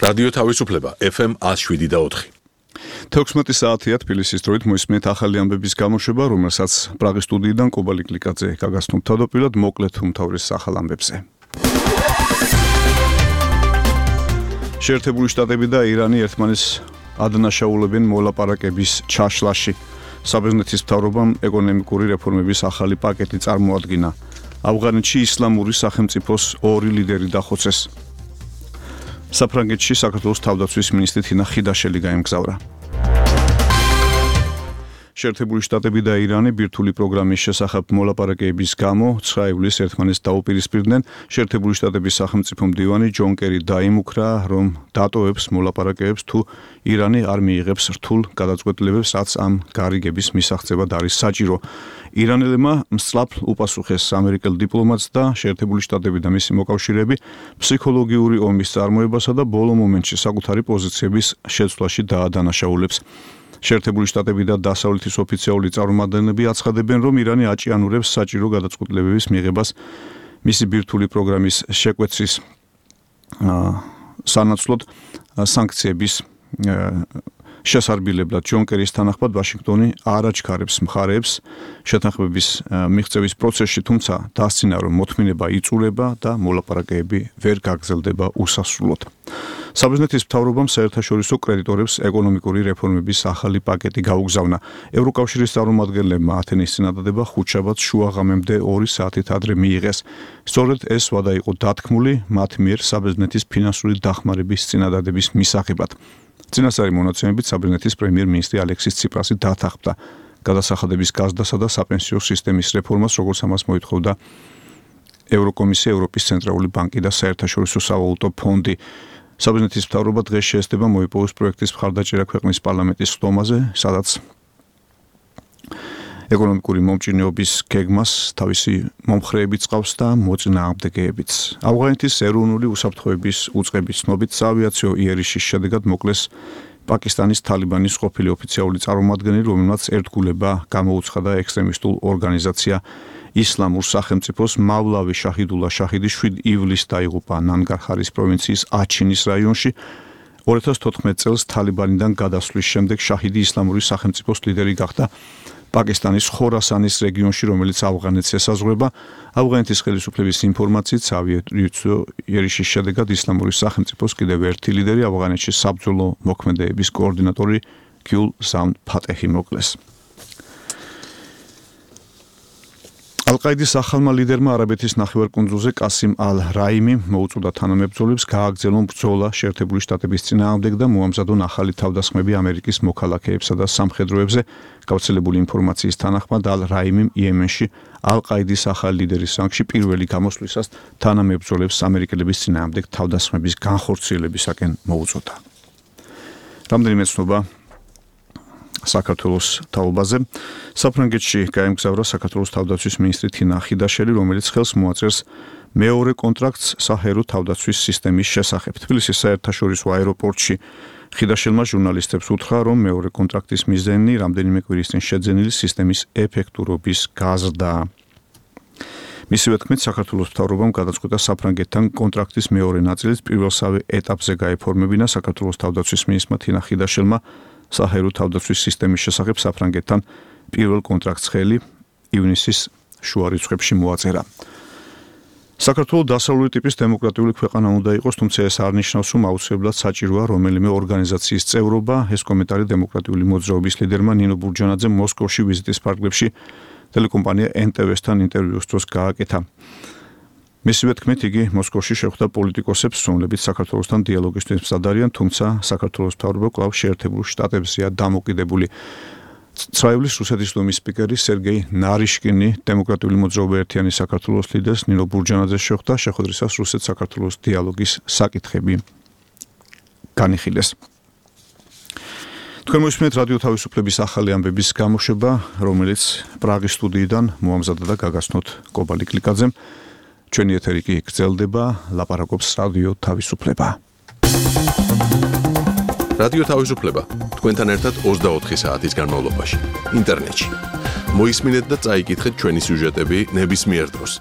რადიო თავისუფლება FM 107.4. 16 საათია თბილისის დროით მოისმენთ ახალი ამბების გამოშვება, რომელსაც პრაღის სტუდიიდან კობალი კლიკაძე გაგაცნობ თავდაპირველად მოკლედ უმთავრეს ახალ ამბებზე. შეერთებული შტატები და ირანი ერთმანეთს ადანაშაულებენ მოლაპარაკების ჩაშლაში. საბერძნეთის მთავრობამ ეკონომიკური რეფორმების ახალი პაკეტი წარმოადგინა. ავღანეთში ისლამური სახელმწიფოს ორი ლიდერი დახოცეს. საფრანგეთში საქართველოს თავდაცვის მინისტრი თინა ხიდაშელი გაემგზავრა. შეერთებული შტატები და ირანი ბირთვული პროგრამის შესახებ მოლაპარაკების გამო 9 ივლისს ერთმანეთს დაუპირისპირდნენ. შეერთებული შტატების სახელმწიფო მდივანი ჯონ კერი დაიმუქრა, რომ დატოვებს მოლაპარაკებებს თუ ირანი არ მიიღებს რთულ გადაწყვეტილებებს, რაც ამ გარიგების მისაღწევად არის საჭირო. ირანელებმა მსწლაფ უპასუხეს ამერიკელ დიპლომატს და შეერთებული შტატები და მისი მოკავშირეები ფსიქოლოგიური ომის წარმოებასა და ბოლო მომენტში საკუთარი პოზიციების შეცვლაში დაადანაშაულებს. შეერთებული შტატები და დასავლეთის ოფიციალური წარმომადგენლები აცხადებენ, რომ ირანი აჭიანურებს საჭირო გადაწყვეტილებების მიღებას მისი ბირთვული პროგრამის შეკვეცის სანაცვლოდ სანქციების შესარბილებლად. ჯონ კერის თანახმად ვაშინგტონი არ აჩქარებს მხარეებს შეთანხმების მიღწევის პროცესში, თუმცა დასცინა, რომ მოთმინება იწურება და მოლაპარაკებები ვერ გაგრძელდება უსასრულოდ. საბერძნეთის მთავრობამ საერთაშორისო კრედიტორებს ეკონომიკური რეფორმების ახალი პაკეტი გაუგზავნა. ევროკავშირის წარმომადგენლებმა ათენის წინადადება ხუთშაბათს შუაღამემდე 2 საათით ადრე მიიღეს. სწორედ ეს ვადა იყო დათქმული მათ მიერ საბერძნეთის ფინანსური დახმარების წინადადების მისაღებად. წინასწარი მონაცემებით საბერძნეთის პრემიერ-მინისტრი ალექსის ციპრასი დათანხმდა გადასახადების გაზრდასა და საპენსიო სისტემის რეფორმას, როგორც ამას მოითხოვდა ევროკომისია, ევროპის ცენტრალური ბანკი და საერთაშორისო სავალუტო ფონდი. საბერძნეთის მთავრობა დღეს შეესწება მოიპოვოს პროექტის მხარდაჭერა ქვეყნის პარლამენტის ხდომაზე, სადაც ეკონომიკური მომჭირნეობის გეგმას თავისი მომხრეებით წყავს და მოწინააღმდეგეებიც. ავღანეთის ეროვნული უსაფრთხოების უწყების ცნობით საავიაციო იერიშის შედეგად მოკლეს პაკისტანის თალიბანის ყოფილი ოფიციალური წარმომადგენელი, რომელმაც ერთგულება გამოუცხადა ექსტრემისტულ ორგანიზაცია ისლამურ სახელმწიფოს მავლავი შაჰიდულა შაჰიდი 7 ივლისს დაიღუპა ნანგარჰარის პროვინციის აჩინის რაიონში. 2014 წელს თალიბანიდან გადასვლის შემდეგ შაჰიდი ისლამური სახელმწიფოს ლიდერი გახდა პაკისტანის ხორასანის რეგიონში, რომელიც ავღანეთს ესაზღვრება. ავღანეთის ხელისუფლების ინფორმაციით საავიაციო იერიშის შედეგად ისლამური სახელმწიფოს კიდევ ერთი ლიდერი, ავღანეთში საბრძოლო მოქმედებების კოორდინატორი გიულ ზამ ფატეჰი მოკლეს. ალ-ყაიდის ახალმა ლიდერმა არაბეთის ნახევარკუნძულზე კასიმ ალ-რაიმი მოუწოდა თანამებრძოლებს გააგრძელონ ბრძოლა შეერთებული შტატების წინააღმდეგ და მოამზადონ ახალი თავდასხმები ამერიკის მოქალაქეებსა და სამხედროებზე. გავრცელებული ინფორმაციის თანახმად ალ-რაიმიმ იემენში ალ-ყაიდის ახალი ლიდერის რანგში პირველი გამოსვლისას თანამებრძოლებს ამერიკელების წინააღმდეგ თავდასხმების განხორციელებისაკენ მოუწოდა. რამდენიმე ცნობა საქართველოს თაობაზე. საფრანგეთში გაემგზავრა საქართველოს თავდაცვის მინისტრი თინა ხიდაშელი, რომელიც ხელს მოაწერს მეორე კონტრაქტს საჰაერო თავდაცვის სისტემის შესახებ. თბილისის საერთაშორისო აეროპორტში ხიდაშელმა ჟურნალისტებს უთხრა, რომ მეორე კონტრაქტის მიზანი რამდენიმე კვირის წინ შეძენილი სისტემის ეფექტურობის გაზრდაა. მისივე თქმით, საქართველოს მთავრობამ გადაწყვიტა საფრანგეთთან კონტრაქტის მეორე ნაწილის პირველსავე ეტაპზე გაეფორმებინა. საქართველოს თავდაცვის მინისტრმა თინა ხიდაშელმა საჰაერო თავდაცვის სისტემის შესახებ საფრანგეთთან პირველ კონტრაქტს ხელი ივნისის შუა რიცხვებში მოაწერა. საქართველოს დასავლური ტიპის დემოკრატიული ქვეყანა უნდა იყოს, თუმცა ეს არ ნიშნავს, რომ აუცილებლად საჭიროა რომელიმე ორგანიზაციის წევრობა. ეს კომენტარი დემოკრატიული მოძრაობის ლიდერმა ნინო ბურჯანაძემ მოსკოვში ვიზიტის ფარგლებში ტელეკომპანია NTV-სთან ინტერვიუს დროს გააკეთა. მისივე თქმით, იგი მოსკოვში შეხვდა პოლიტიკოსებს, რომლებიც საქართველოსთან დიალოგისთვის მზად არიან, თუმცა საქართველოს მთავრობა კვლავ შეერთებულ შტატებზეა დამოკიდებული. 9 ივლისს რუსეთის დუმის სპიკერი სერგეი ნარიშკინი დემოკრატიული მოძრაობა ერთიანი საქართველოს ლიდერს ნინო ბურჯანაძეს შეხვდა, შეხვედრისას რუსეთ-საქართველოს დიალოგის საკითხები განიხილეს. თქვენ მოისმენთ რადიო თავისუფლების ახალი ამბების გამოშვება, რომელიც პრაღის სტუდიიდან მოამზადა და გაგაცნოთ კობალი კლიკაძემ. ჩვენი ეთერი კი გრძელდება, ლაპარაკობს რადიო თავისუფლება. რადიო თავისუფლება თქვენთან ერთად 24 საათის განმავლობაში ინტერნეტში. მოისმინეთ და წაიკითხეთ ჩვენი სიუჟეტები ნებისმიერ დროს.